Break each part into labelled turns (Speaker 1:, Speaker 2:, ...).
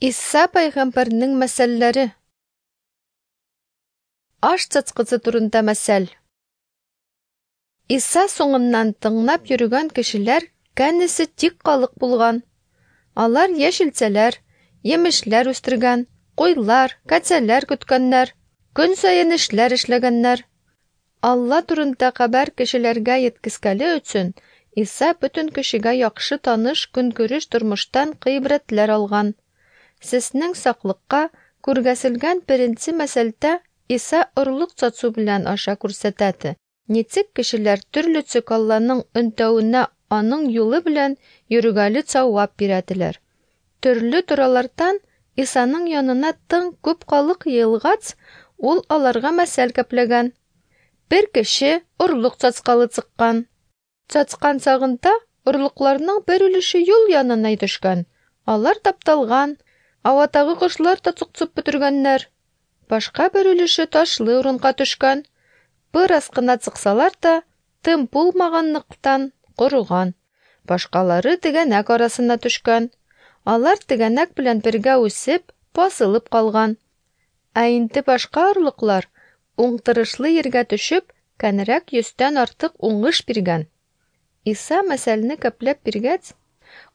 Speaker 1: Иса пәйгамбәрнең мәсәлләре. Аш цацкысы турында мәсәл. Иса соңыннан тыңлап йөргән кешеләр кәнесе тик калык булган. Алар яшелчәләр, емешләр үстергән, куйлар, кәцәләр көткәннәр, көн саен эшләр эшләгәннәр. Алла турында хәбәр кешеләргә еткезгәле өчен Иса бөтен кешегә яхшы таныш көнкүреш тормыштан гыйбрәтләр алган. Сезнең саклыкка күргәселгән беренче мәсәлдә Иса орлык сату белән аша күрсәтәде. Ничек кешеләр төрлечә Алланың өнтәвенә аның юлы белән йөргәле цавап бирәделәр. Төрле торалардан Исаның янына тың күп халык йыелгач, ул аларга мәсәл кәпләгән. Бер кеше орлык цацкалы чыккан. Цацкан сагында орлыкларның бер өлеше юл янына төшкән. Алар тапталган, аватагы кошлар та цукцып бетергәннәр. Башка бер өлеше ташлы урынга төшкән. Бераз кына чыксалар да, тым булмаганлыктан корыган. Башкалары тегәнәк арасына төшкән. Алар тегәнәк белән бергә үсеп, басылып калган. Ә инде башка орлыклар уңтырышлы ергә төшеп, кәнрәк йөздән артык уңыш биргән. Иса мәсәлне кәпләп биргәч,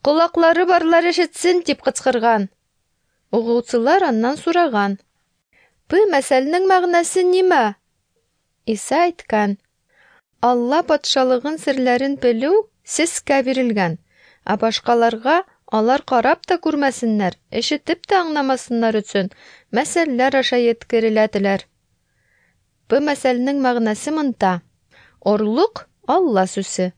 Speaker 1: "Колаклары барлар ишетсен" дип кычкырган. Угучылар аннан сораган: "Бу мәсәлнең мәгънәсе нимә?" Иса әйткән: "Алла патшалыгын серләрен белү сезгә бирелгән, ә башкаларга алар карап та күрмәсеннәр, ишетеп тә аңламасыннар өчен мәсәлләр аша еткереләделәр." Бу мәсәлнең мәгънәсе монда: орлык Алла сүзе.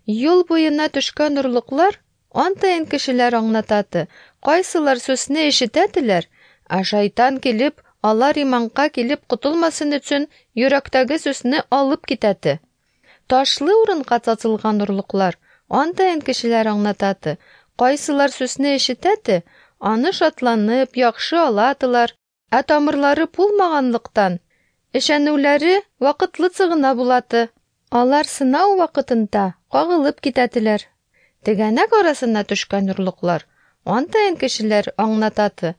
Speaker 1: Юл буена төшкән орлыклар антайын кешеләр аңлатады. Кайсылар сүзне ишетәделәр, ә шайтан килеп, алар иманга килеп котылмасын өчен йөрәктәге сүзне алып китәде. Ташлы урынга цацылган орлыклар антайын кешеләр аңлатады. Кайсылар сүзне ишетәде, аны шатланып, яхшы аладылар, ә тамырлары булмаганлыктан, ишәнүләре вакытлыча гына булады. Алар сынау вакытында кагылып китәделәр. Тегәнәк арасына төшкән орлыклар антайын кешеләр аңлатады.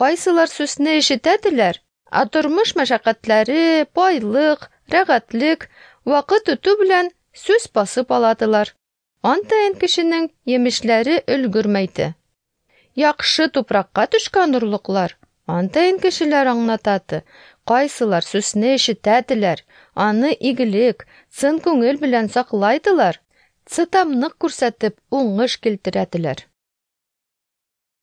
Speaker 1: Кайсылар сүзне ишетәделәр, ә тормыш мәшәкатьләре, байлык, рәхәтлек вакыт үтү белән сүз басып аладылар. Антайын кешенең емешләре өлгермәйде. Яхшы тупракка төшкән орлыклар антайын кешеләр аңлатады. Кайсылар сүзне ишетәделәр, аны игелек, чын күңел белән саклайдылар, чыдамлык күрсәтеп уңыш килтерәделәр.